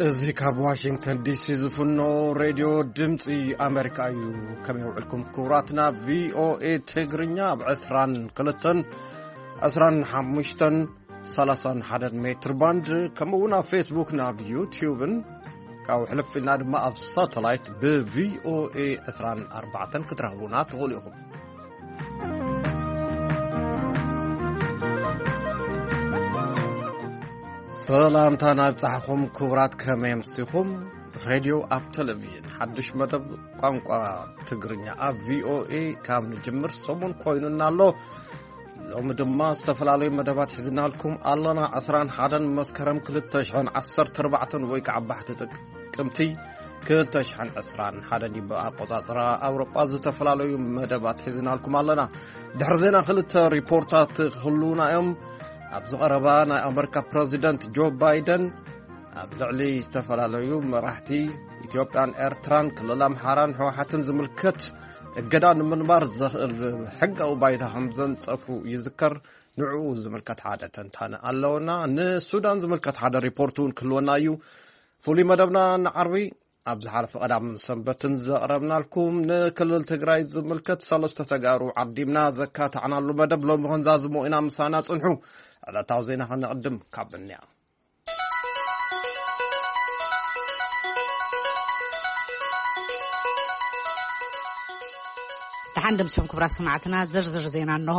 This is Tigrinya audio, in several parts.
እዚ ካብ ዋሽንግተን ዲሲ ዝፍኖ ሬድዮ ድምፂ ኣሜሪካ እዩ። ከመይ ውዕልኩም ክቡራትና? ቪኦኤ ትግርኛ ኣብ ዕስራን ክልተን፣ ዕስራን ሓሙሽተን፣ ሰላሳን ሓደን ሜትር ባንድ፣ ከምኡ እውን ኣብ ፌስቡክ፣ ናብ ዩቲዩብን ካብ ሕልፍ ኢልና ድማ ኣብ ሳተላይት ብቪኦኤ ዕስራን ኣርባዕተን ክትረኽቡና ትኽእሉ ኢኹም። ሰላምታ ናብጻሕኹም ክቡራት፣ ከመይ ኣምሲኹም? ሬድዮ ኣብ ቴሌቪዥን ሓድሽ መደብ ቋንቋ ትግርኛ ኣብ ቪኦኤ ካብ ንጅምር ሰሙን ኮይኑና ኣሎ። ሎሚ ድማ ዝተፈላለዩ መደባት ሒዝናልኩም ኣለና። ዕስራን ሓደን መስከረም ክልተ ሽሕን ዓሰርተ ኣርባዕተን ወይ ከዓ ባሕቲ ጥቅምቲ ክልተ ሽሕን ዕስራን ሓደን እዩ ብኣቆጻጽራ ኣውሮጳ። ዝተፈላለዩ መደባት ሒዝናልኩም ኣለና። ድሕሪ ዜና ክልተ ሪፖርታት ክህልዉና እዮም። ኣብዚ ቀረባ ናይ ኣመሪካ ፕረዚደንት ጆ ባይደን ኣብ ልዕሊ ዝተፈላለዩ መራሕቲ ኢትዮጵያን ኤርትራን ክልል ኣምሓራን ህወሓትን ዝምልከት እገዳ ንምንባር ዘኽእል ሕጋዊ ባይታ ከም ዘንጸፉ ይዝከር። ንዕኡ ዝምልከት ሓደ ተንታነ ኣለውና። ንሱዳን ዝምልከት ሓደ ሪፖርት እውን ክህልወና እዩ። ፍሉይ መደብና ንዓርቢ ኣብ ዝሓለፈ ቀዳምን ሰንበትን ዘቕረብናልኩም ንክልል ትግራይ ዝምልከት ሰለስተ ተጋሩ ዓዲምና ዘካታዕናሉ መደብ ሎሚ ክንዛዝሞ ኢና። ምሳና ጽንሑ። ዕለታዊ ዜና ከነቕድም ካብ እንያ ደሓን ደምሲኹም ክቡራት ሰማዕትና፣ ዝርዝር ዜና እንሆ።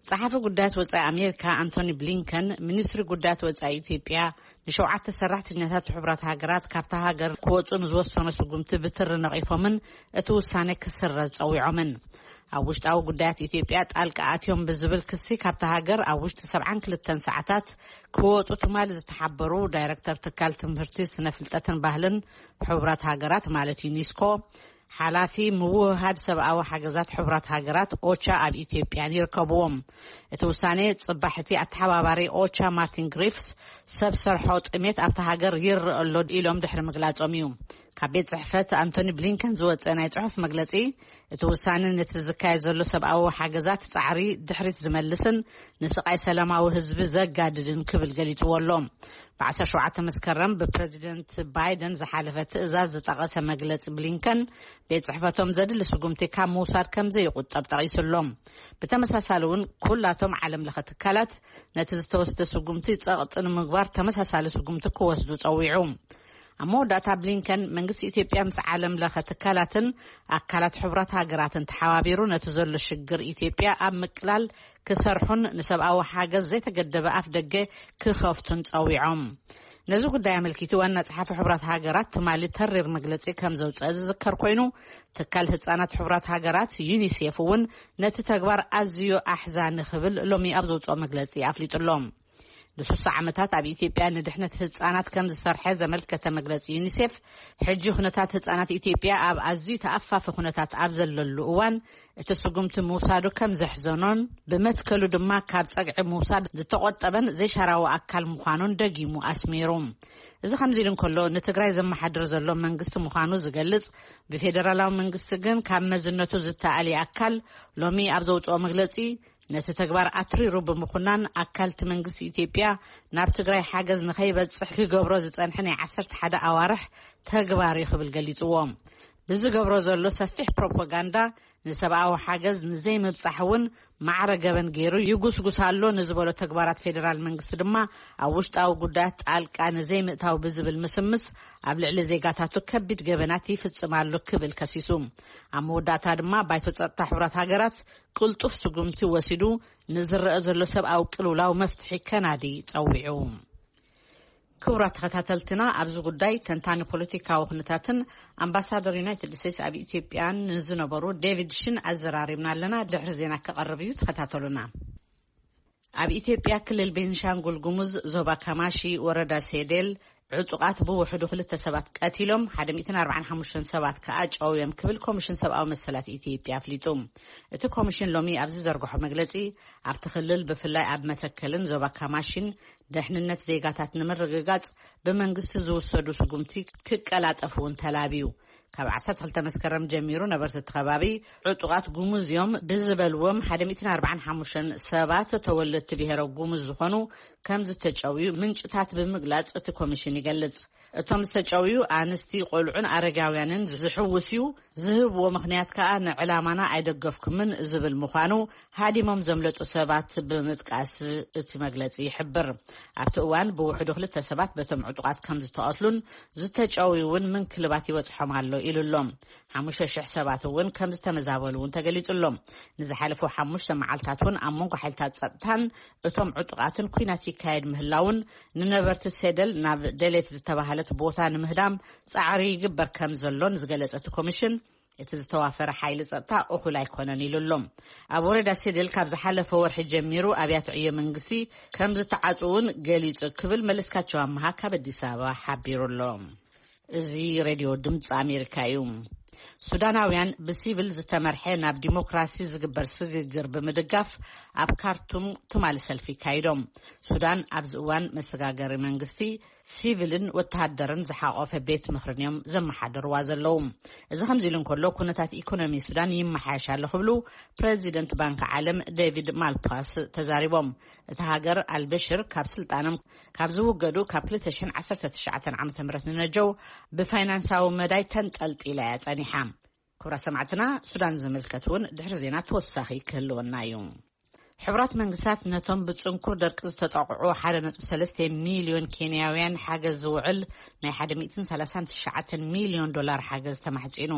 ጸሓፊ ጉዳያት ወጻኢ ኣሜሪካ ኣንቶኒ ብሊንከን፣ ሚኒስትሪ ጉዳያት ወጻኢ ኢትዮጵያ ንሸውዓተ ሰራሕተኛታት ሕቡራት ሃገራት ካብታ ሃገር ክወጹ ንዝወሰኖ ስጉምቲ ብትሪ ነቒፎምን እቲ ውሳነ ክስረዝ ጸዊዖምን። ኣብ ውሽጣዊ ጉዳያት ኢትዮጵያ ጣልቃ ኣትዮም ብዝብል ክሲ ካብታ ሃገር ኣብ ውሽጢ ሰብዓን ክልተን ሰዓታት ክወጹ ትማሊ ዝተሓበሩ ዳይረክተር ትካል ትምህርቲ፣ ስነ ፍልጠትን ባህልን ሕቡራት ሃገራት ማለት ዩኒስኮ፣ ሓላፊ ምውህሃድ ሰብኣዊ ሓገዛት ሕቡራት ሃገራት ኦቻ ኣብ ኢትዮጵያን ይርከብዎም። እቲ ውሳኔ ጽባሕ እቲ ኣተሓባባሪ ኦቻ ማርቲን ግሪፍስ ሰብ ሰርሖ ጥሜት ኣብታ ሃገር ይረአ ኣሎ ኢሎም ድሕሪ ምግላጾም እዩ። ካብ ቤት ጽሕፈት ኣንቶኒ ብሊንከን ዝወጸ ናይ ጽሑፍ መግለጺ፣ እቲ ውሳነ ነቲ ዝካየድ ዘሎ ሰብኣዊ ሓገዛት ጻዕሪ ድሕሪት ዝመልስን ንስቓይ ሰላማዊ ህዝቢ ዘጋድድን ክብል ገሊጽዎ ኣሎ። ብ ዓሰርተ ሸውዓተ መስከረም ብፕረዚደንት ባይደን ዝሓለፈ ትእዛዝ ዝጠቐሰ መግለጺ ብሊንከን፣ ቤት ጽሕፈቶም ዘድሊ ስጉምቲ ካብ ምውሳድ ከም ዘይቁጠብ ጠቒሱ ኣሎ። ብተመሳሳሊ እውን ኩላቶም ዓለም ለኸ ትካላት ነቲ ዝተወስደ ስጉምቲ ጸቕጢ ንምግባር ተመሳሳሊ ስጉምቲ ክወስዱ ጸዊዑ። ኣብ መወዳእታ ብሊንከን መንግስቲ ኢትዮጵያ ምስ ዓለም ለኸ ትካላትን ኣካላት ሕቡራት ሃገራትን ተሓባቢሩ ነቲ ዘሎ ሽግር ኢትዮጵያ ኣብ ምቅላል ክሰርሑን ንሰብኣዊ ሓገዝ ዘይተገደበ ኣፍ ደገ ክኸፍቱን ጸዊዖም። ነዚ ጉዳይ ኣመልኪቱ ዋና ጸሓፊ ሕቡራት ሃገራት ትማሊ ተሪር መግለጺ ከም ዘውጸአ ዝዝከር ኮይኑ፣ ትካል ህጻናት ሕቡራት ሃገራት ዩኒሴፍ እውን ነቲ ተግባር ኣዝዩ ኣሕዛኒ ክብል ሎሚ ኣብ ዘውጽኦ መግለጺ ኣፍሊጡ ኣሎ። ንሱሳ ዓመታት ኣብ ኢትዮጵያ ንድሕነት ህጻናት ከም ዝሰርሐ ዘመልከተ መግለጺ ዩኒሴፍ፣ ሕጂ ኩነታት ህጻናት ኢትዮጵያ ኣብ ኣዝዩ ተኣፋፊ ኩነታት ኣብ ዘለሉ እዋን እቲ ስጉምቲ ምውሳዱ ከም ዘሕዘኖን ብመትከሉ ድማ ካብ ጸግዒ ምውሳድ ዝተቖጠበን ዘይሻራዊ ኣካል ምዃኑን ደጊሙ ኣስሚሩ። እዚ ከምዚ ኢሉ እንከሎ፣ ንትግራይ ዘመሓድር ዘሎ መንግስቲ ምዃኑ ዝገልጽ ብፌደራላዊ መንግስቲ ግን ካብ መዝነቱ ዝተኣሊ ኣካል ሎሚ ኣብ ዘውጽኦ መግለጺ፣ ነቲ ተግባር ኣትሪሩ ብምኹናን ኣካልቲ መንግስቲ ኢትዮጵያ ናብ ትግራይ ሓገዝ ንኸይበጽሕ ክገብሮ ዝጸንሐ ናይ ዓሰርተ ሓደ ኣዋርሕ ተግባር እዩ ክብል ገሊጽዎ። ብዝገብሮ ዘሎ ሰፊሕ ፕሮፓጋንዳ ንሰብኣዊ ሓገዝ ንዘይምብጻሕ እውን ማዕረ ገበን ገይሩ ይጉስጉስ ኣሎ ንዝበሎ ተግባራት ፌደራል መንግስቲ ድማ ኣብ ውሽጣዊ ጉዳያት ጣልቃ ንዘይምእታው ብዝብል ምስምስ ኣብ ልዕሊ ዜጋታቱ ከቢድ ገበናት ይፍጽም ኣሎ ክብል ከሲሱ። ኣብ መወዳእታ ድማ ባይቶ ጸጥታ ሕቡራት ሃገራት ቅልጡፍ ስጉምቲ ወሲዱ ንዝረአ ዘሎ ሰብኣዊ ቅልውላው መፍትሒ ከናዲ ጸዊዑ። ክቡራት ተኸታተልትና፣ ኣብዚ ጉዳይ ተንታኒ ፖለቲካዊ ኩነታትን ኣምባሳደር ዩናይትድ ስቴትስ ኣብ ኢትዮጵያን ንዝነበሩ ዴቪድ ሽን ኣዘራሪብና ኣለና። ድሕሪ ዜና ክቐርብ እዩ፣ ተኸታተሉና። ኣብ ኢትዮጵያ ክልል ቤንሻንጉል ጉሙዝ ዞባ ካማሺ ወረዳ ሴዴል ዕጡቓት ብውሕዱ ክልተ ሰባት ቀቲሎም፣ ሓደ ሚእትን ኣርባዓን ሓሙሽተን ሰባት ከኣ ጨውዮም ክብል ኮሚሽን ሰብኣዊ መሰላት ኢትዮጵያ ኣፍሊጡ። እቲ ኮሚሽን ሎሚ ኣብ ዝዘርግሖ መግለጺ፣ ኣብቲ ክልል ብፍላይ ኣብ መተከልን ዞባ ካማሺን ደሕንነት ዜጋታት ንምርግጋጽ ብመንግስቲ ዝውሰዱ ስጉምቲ ክቀላጠፉ እውን ተላብዩ። ካብ ዓሰርተ ክልተ መስከረም ጀሚሩ ነበርቲ እቲ ከባቢ ዕጡቓት ጉሙዝ እዮም ብዝበልዎም ሓደ ሚእትን ኣርባዓን ሓሙሽተን ሰባት ተወለድቲ ብሔረ ጉሙዝ ዝኾኑ ከም ዝተጨውዩ ምንጭታት ብምግላጽ እቲ ኮሚሽን ይገልጽ። እቶም ዝተጨውዩ ኣንስቲ፣ ቆልዑን ኣረጋውያንን ዝሕውስ እዩ። ዝህብዎ ምኽንያት ከኣ ንዕላማና ኣይደገፍኩምን ዝብል ምዃኑ ሃዲሞም ዘምለጡ ሰባት ብምጥቃስ እቲ መግለጺ ይሕብር። ኣብቲ እዋን ብውሕዱ ክልተ ሰባት በቶም ዕጡቓት ከም ዝተቐትሉን ዝተጨውዩ እውን ምንክልባት ይበጽሖም ኣሎ ኢሉ ኣሎ። ሓሙሽተ ሽሕ ሰባት እውን ከም ዝተመዛበሉ እውን ተገሊጹ ኣሎ። ንዝሓለፉ ሓሙሽተ መዓልታት እውን ኣብ መንጎ ሓይልታት ጸጥታን እቶም ዕጡቓትን ኲናት ይካየድ ምህላውን ንነበርቲ ሴደል ናብ ደሌት ዝተባህለት ቦታ ንምህዳም ጻዕሪ ይግበር ከም ዘሎን ዝገለጸ እቲ ኮሚሽን፣ እቲ ዝተዋፈረ ሓይሊ ጸጥታ እኹል ኣይኮነን ኢሉ ኣሎ። ኣብ ወረዳ ሴደል ካብ ዝሓለፈ ወርሒ ጀሚሩ ኣብያተ ዕዮ መንግስቲ ከም ዝተዓጽውን ገሊጹ ክብል መለስካቸው ኣመሃ ካብ ኣዲስ ኣበባ ሓቢሩ ኣሎ። እዚ ሬድዮ ድምፂ ኣሜሪካ እዩ። ሱዳናውያን ብሲቪል ዝተመርሐ ናብ ዲሞክራሲ ዝግበር ስግግር ብምድጋፍ ኣብ ካርቱም ትማሊ ሰልፊ ይካይዶም። ሱዳን ኣብዚ እዋን መሰጋገሪ መንግስቲ፣ ሲቪልን ወተሃደርን ዝሓቆፈ ቤት ምኽርን እዮም ዘመሓደርዋ ዘለዉ። እዚ ከምዚ ኢሉ እንከሎ፣ ኩነታት ኢኮኖሚ ሱዳን ይመሓየሽ ኣሎ ክብሉ ፕረዚደንት ባንክ ዓለም ዴቪድ ማልፓስ ተዛሪቦም። እታ ሃገር ኣልበሽር ካብ ስልጣኖም ካብ ዝውገዱ ካብ ክልተ ሽሕን ዓሰርተ ትሽዓተን ዓመተ ምህረት ንነጀው ብፋይናንሳዊ መዳይ ተንጠልጢላ እያ ጸኒሓ። ክቡራት ሰማዕትና፣ ሱዳን ዝምልከት እውን ድሕሪ ዜና ተወሳኺ ክህልወና እዩ። ሕቡራት መንግስታት ነቶም ብጽንኩር ደርቂ ዝተጠቕዑ ሓደ ነጥቢ ሰለስተ ሚልዮን ኬንያውያን ሓገዝ ዝውዕል ናይ ሓደ ሚእትን ሰላሳን ትሽዓተን ሚልዮን ዶላር ሓገዝ ተማሕጺኑ።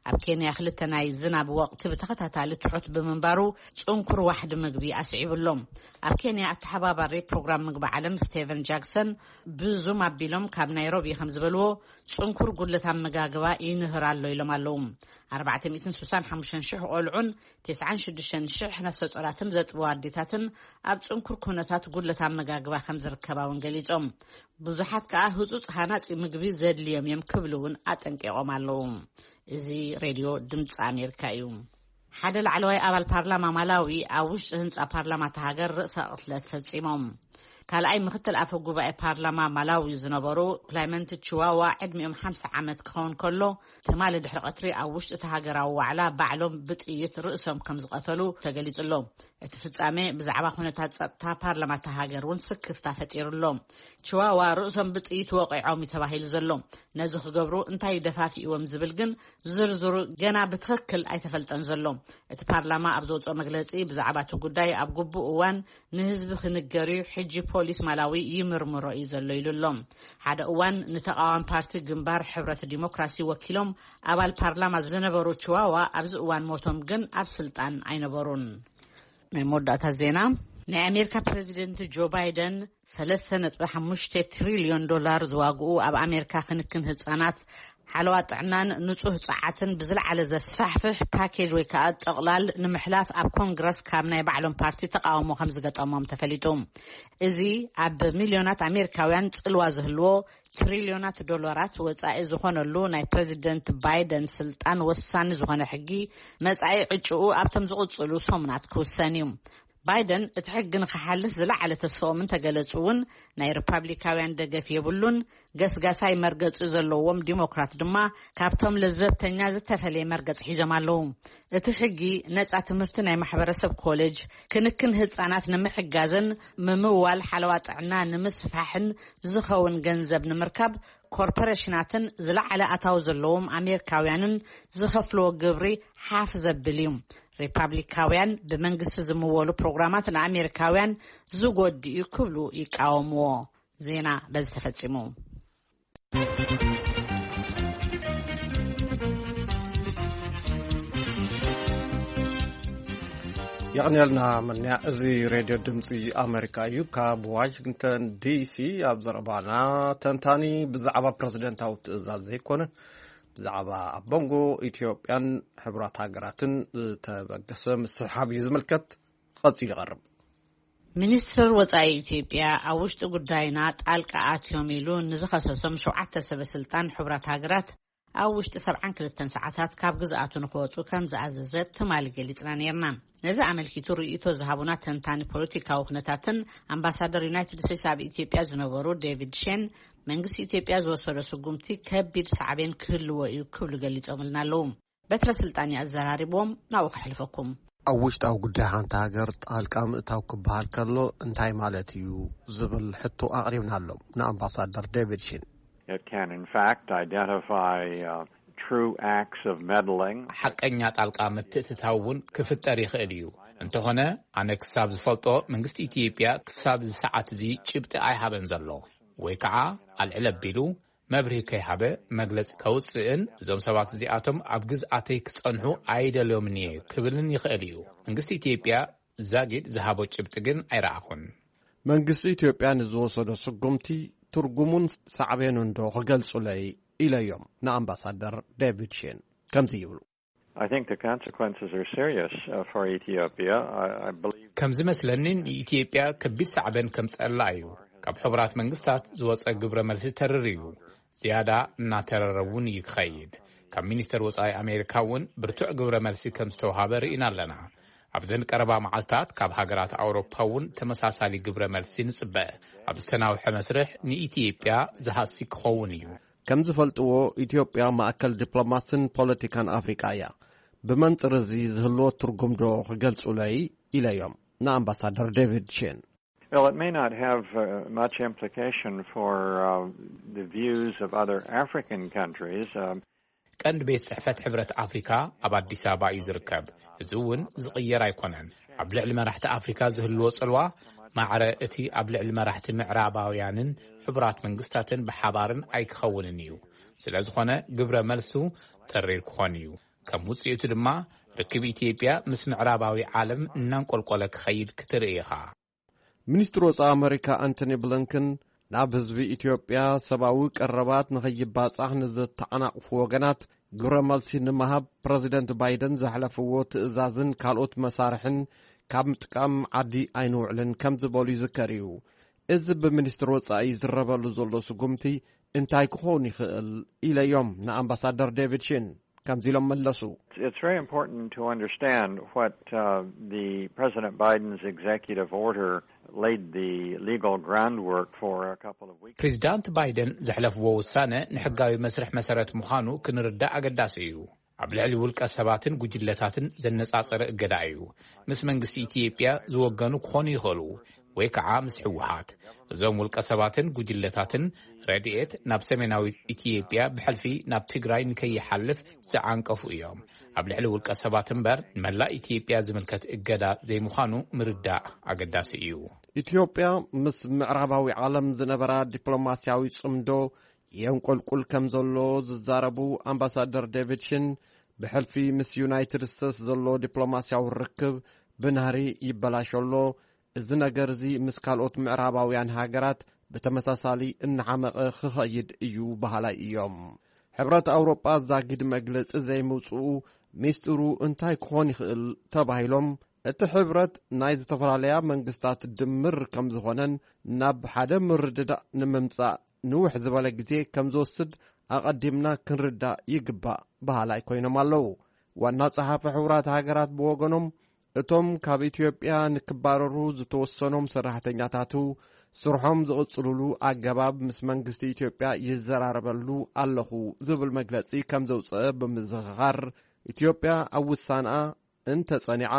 ኣብ ኬንያ ክልተ ናይ ዝናብ ወቕቲ ብተኸታታሊ ትሑት ብምንባሩ ጽንኩር ዋሕዲ ምግቢ ኣስዒቡ ኣሎ። ኣብ ኬንያ ኣተሓባባሪ ፕሮግራም ምግቢ ዓለም ስቴቨን ጃክሰን ብዙም ኣቢሎም ካብ ናይሮቢ ከም ዝበልዎ፣ ጽንኩር ጉድለት ኣመጋግባ ይንህር ኣሎ ኢሎም ኣለዉ። ኣርባዕተ ሚእትን ስሳን ሓሙሽተን ሽሕ ቆልዑን ተስዓን ሽዱሽተን ሽሕ ነፍሰ ጾራትን ዘጥብዋ ኣዴታትን ኣብ ጽንኩር ኩነታት ጉድለት ኣመጋግባ ከም ዝርከባ እውን ገሊጾም። ብዙሓት ከኣ ህጹጽ ሃናጺ ምግቢ ዘድልዮም እዮም ክብሉ እውን ኣጠንቂቖም ኣለዉ። እዚ ሬድዮ ድምፂ ኣሜሪካ እዩ። ሓደ ላዕለዋይ ኣባል ፓርላማ ማላዊ ኣብ ውሽጢ ህንጻ ፓርላማ እታ ሃገር ርእሰ ቅትለት ፈጺሞም። ካልኣይ ምክትል ኣፈ ጉባኤ ፓርላማ ማላዊ ዝነበሩ ክላይመንት ችዋዋ ዕድሚኦም ሓምሳ ዓመት ክኸውን ከሎ፣ ትማሊ ድሕሪ ቀትሪ ኣብ ውሽጢ እቲ ሃገራዊ ዋዕላ ባዕሎም ብጥይት ርእሶም ከም ዝቐተሉ ተገሊጹ ኣሎ። እቲ ፍጻሜ ብዛዕባ ኩነታት ጸጥታ ፓርላማ እታ ሃገር እውን ስክፍታ ፈጢሩ ኣሎ። ችዋዋ ርእሶም ብጥይት ወቒዖም እዩ ተባሂሉ ዘሎ። ነዚ ክገብሩ እንታይ ደፋፊእዎም ዝብል ግን ዝርዝሩ ገና ብትኽክል ኣይተፈልጠን ዘሎ። እቲ ፓርላማ ኣብ ዘውፅኦ መግለፂ፣ ብዛዕባ እቲ ጉዳይ ኣብ ግቡእ እዋን ንህዝቢ ክንገር እዩ፣ ሕጂ ፖሊስ ማላዊ ይምርምሮ እዩ ዘሎ ኢሉ ኣሎ። ሓደ እዋን ንተቃዋሚ ፓርቲ ግንባር ሕብረት ዲሞክራሲ ወኪሎም ኣባል ፓርላማ ዝነበሩ ችዋዋ ኣብዚ እዋን ሞቶም ግን ኣብ ስልጣን ኣይነበሩን። ናይ መወዳእታ ዜና፣ ናይ ኣሜሪካ ፕሬዚደንት ጆ ባይደን ሰለስተ ነጥቢ ሓሙሽተ ትሪልዮን ዶላር ዝዋግኡ ኣብ ኣሜሪካ ክንክን ህፃናት፣ ሓለዋ ጥዕናን ንጹህ ጸዓትን ብዝለዓለ ዘስፋሕፍሕ ፓኬጅ ወይ ከኣ ጠቕላል ንምሕላፍ ኣብ ኮንግረስ ካብ ናይ ባዕሎም ፓርቲ ተቃውሞ ከም ዝገጠሞም ተፈሊጡ። እዚ ኣብ ሚልዮናት ኣሜሪካውያን ጽልዋ ዝህልዎ ትሪልዮናት ዶላራት ወጻኢ ዝኾነሉ ናይ ፕሬዚደንት ባይደን ስልጣን ወሳኒ ዝኾነ ሕጊ መጻኢ ዕጭኡ ኣብቶም ዝቕጽሉ ሰሙናት ክውሰን እዩ። ባይደን እቲ ሕጊ ንኽሓልፍ ዝለዓለ ተስፍኦም እንተገለጹ እውን ናይ ሪፓብሊካውያን ደገፍ የብሉን። ገስጋሳይ መርገጺ ዘለዎም ዲሞክራት ድማ ካብቶም ለዘብተኛ ዝተፈለየ መርገጺ ሒዞም ኣለዉ። እቲ ሕጊ ነጻ ትምህርቲ፣ ናይ ማሕበረሰብ ኮሌጅ፣ ክንክን ህጻናት ንምሕጋዝን ምምዋል ሓለዋ ጥዕና ንምስፋሕን ዝኸውን ገንዘብ ንምርካብ ኮርፖሬሽናትን ዝለዓለ ኣታዊ ዘለዎም ኣሜሪካውያንን ዝኸፍልዎ ግብሪ ሓፍ ዘብል እዩ። ሪፓብሊካውያን ብመንግስቲ ዝምወሉ ፕሮግራማት ንኣሜሪካውያን ዝጎድእ እዩ ክብሉ ይቃወምዎ። ዜና በዚ ተፈጺሙ። የቕንየልና መንያ። እዚ ሬድዮ ድምፂ ኣሜሪካ እዩ። ካብ ዋሽንግተን ዲሲ ኣብ ዘረባና፣ ተንታኒ ብዛዕባ ፕረዚደንታዊ ትእዛዝ ዘይኮነ፣ ብዛዕባ ኣብ መንጎ ኢትዮጵያን ሕቡራት ሃገራትን ዝተበገሰ ምስሕሓብ እዩ ዝምልከት። ቀፂሉ ይቐርብ። ሚኒስትር ወጻኢ ኢትዮጵያ ኣብ ውሽጢ ጉዳይና ጣልቃ ኣትዮም ኢሉ ንዝኸሰሶም ሸውዓተ ሰበ ስልጣን ሕቡራት ሃገራት ኣብ ውሽጢ ሰብዓን ክልተን ሰዓታት ካብ ግዝኣቱ ንክወጹ ከም ዝኣዘዘ ትማሊ ገሊጽና ነይርና። ነዚ ኣመልኪቱ ርእይቶ ዝሃቡና ተንታኒ ፖለቲካዊ ኩነታትን ኣምባሳደር ዩናይትድ ስቴትስ ኣብ ኢትዮጵያ ዝነበሩ ዴቪድ ሼን፣ መንግስቲ ኢትዮጵያ ዝወሰዶ ስጉምቲ ከቢድ ሳዕቤን ክህልዎ እዩ ክብሉ ገሊጾምልና ኣለዉ። በትረ ስልጣን እዩ ኣዘራሪብዎም፣ ናብኡ ከሕልፈኩም። ኣብ ውሽጣዊ ጉዳይ ሓንቲ ሃገር ጣልቃ ምእታው ክበሃል ከሎ እንታይ ማለት እዩ ዝብል ሕቶ ኣቕሪብናሎም ንኣምባሳደር ዴቪድ ሺን። It can, in fact, identify uh, true acts of meddling. ሓቀኛ ጣልቃ ምትእትታው እውን ክፍጠር ይኽእል እዩ። እንተኾነ፣ ኣነ ክሳብ ዝፈልጦ፣ መንግስቲ ኢትዮጵያ ክሳብ እዚ ሰዓት እዚ ጭብጢ ኣይሃበን ዘሎ፣ ወይ ከዓ ኣልዕል ኣቢሉ መብርሂ ከይሃበ መግለጺ ከውጽእን እዞም ሰባት እዚኣቶም ኣብ ግዝኣተይ ክጸንሑ ኣይደልዮምን እየ ክብልን ይኽእል እዩ። መንግስቲ ኢትዮጵያ ዛጊድ ዝሃቦ ጭብጢ ግን ኣይረኣኹን። መንግስቲ ኢትዮጵያ ንዝወሰዶ ስጉምቲ ትርጉሙን ሳዕቤኑን ዶ ክገልጹለይ ኢለዮም ንኣምባሳደር ዴቪድ ሼን ከምዚ ይብሉ። I think the consequences are serious uh, for Ethiopia. I, I believe ከም ዝመስለኒ ንኢትዮጵያ ከቢድ ሳዕበን ከምጸላ እዩ። ካብ ሕቡራት መንግስታት ዝወጸ ግብረ መልሲ ተርር እዩ። ዝያዳ እናተረረ እውን እዩ ክኸይድ። ካብ ሚኒስተር ወጻኢ ኣሜሪካ እውን ብርቱዕ ግብረ መልሲ ከም ዝተውሃበ ርኢና ኣለና። ኣብዘን ቀረባ መዓልታት ካብ ሃገራት ኣውሮፓ እውን ተመሳሳሊ ግብረ መልሲ ንጽበ። ኣብ ዝተናውሐ መስርሕ ንኢትዮጵያ ዝሃሲ ክኸውን እዩ። ከም ዝፈልጥዎ፣ ኢትዮጵያ ማእከል ዲፕሎማስን ፖለቲካን ኣፍሪቃ እያ። ብመንጽር እዚ ዝህልዎ ትርጉም ዶ ክገልጹለይ ኢለዮም ንኣምባሳደር ዴቪድ ሼን። Well, it may not have uh, much implication for uh, the views of other African countries. Um, ቀንዲ ቤት ጽሕፈት ሕብረት ኣፍሪካ ኣብ ኣዲስ ኣበባ እዩ ዝርከብ። እዚ እውን ዝቕየር ኣይኮነን። ኣብ ልዕሊ መራሕቲ ኣፍሪካ ዝህልዎ ጽልዋ ማዕረ እቲ ኣብ ልዕሊ መራሕቲ ምዕራባውያንን ሕቡራት መንግስታትን ብሓባርን ኣይክኸውንን እዩ። ስለ ዝኾነ ግብረ መልሱ ተሪር ክኾን እዩ። ከም ውጽኢቱ ድማ ርክብ ኢትዮጵያ ምስ ምዕራባዊ ዓለም እናንቆልቆለ ክኸይድ ክትርኢ ኢኻ። ሚኒስትሪ ወጻኢ ኣመሪካ ኣንቶኒ ብሊንከን ናብ ህዝቢ ኢትዮጵያ ሰብኣዊ ቀረባት ንኸይባጻሕ ንዘተዓናቕፉ ወገናት ግብረ መልሲ ንምሃብ ፕረዚደንት ባይደን ዘሕለፍዎ ትእዛዝን ካልኦት መሳርሕን ካብ ምጥቃም ዓዲ ኣይንውዕልን ከም ዝበሉ ይዝከር እዩ። እዚ ብሚኒስትሪ ወጻኢ ይዝረበሉ ዘሎ ስጉምቲ እንታይ ክኸውን ይኽእል ኢለዮም ንኣምባሳደር ዴቪድ ሺን ከምዚ ኢሎም መለሱ። It's very important to understand what uh, the President Biden's executive order laid the legal groundwork for a couple of weeks. ፕሬዚዳንት ባይደን ዘሕለፍዎ ውሳነ ንሕጋዊ መስርሕ መሰረት ምዃኑ ክንርዳእ ኣገዳሲ እዩ። ኣብ ልዕሊ ውልቀ ሰባትን ጉጅለታትን ዘነጻጸረ እገዳ እዩ። ምስ መንግስቲ ኢትዮጵያ ዝወገኑ ክኾኑ ይኽእሉ፣ ወይ ከዓ ምስ ህወሓት። እዞም ውልቀ ሰባትን ጉጅለታትን ረድኤት ናብ ሰሜናዊት ኢትዮጵያ ብሕልፊ ናብ ትግራይ ንከይሓልፍ ዝዓንቀፉ እዮም። ኣብ ልዕሊ ውልቀ ሰባት እምበር ንመላእ ኢትዮጵያ ዝምልከት እገዳ ዘይምዃኑ ምርዳእ ኣገዳሲ እዩ። ኢትዮጵያ ምስ ምዕራባዊ ዓለም ዝነበራ ዲፕሎማስያዊ ጽምዶ የንቆልቁል ከም ዘሎ ዝዛረቡ ኣምባሳደር ዴቪድ ሽን፣ ብሕልፊ ምስ ዩናይትድ ስቴትስ ዘሎ ዲፕሎማስያዊ ርክብ ብናህሪ ይበላሾ ኣሎ። እዚ ነገር እዚ ምስ ካልኦት ምዕራባውያን ሃገራት ብተመሳሳሊ እናሓመቐ ክኸይድ እዩ በሃላይ እዮም። ሕብረት ኣውሮጳ ዛጊድ መግለጺ ዘይምውጽኡ ሚስጢሩ እንታይ ክኾን ይኽእል ተባሂሎም፣ እቲ ሕብረት ናይ ዝተፈላለያ መንግስታት ድምር ከም ዝኾነን ናብ ሓደ ምርድዳእ ንምምጻእ ንውሕ ዝበለ ግዜ ከም ዝወስድ ኣቐዲምና ክንርዳእ ይግባእ በሃላይ ኮይኖም ኣለዉ። ዋና ጸሓፊ ሕቡራት ሃገራት ብወገኖም፣ እቶም ካብ ኢትዮጵያ ንክባረሩ ዝተወሰኖም ሰራሕተኛታቱ ስርሖም ዝቕጽሉሉ ኣገባብ ምስ መንግስቲ ኢትዮጵያ ይዘራረበሉ ኣለኹ ዝብል መግለጺ ከም ዘውጽአ ብምዝኽኻር፣ ኢትዮጵያ ኣብ ውሳንኣ እንተ ጸኒዓ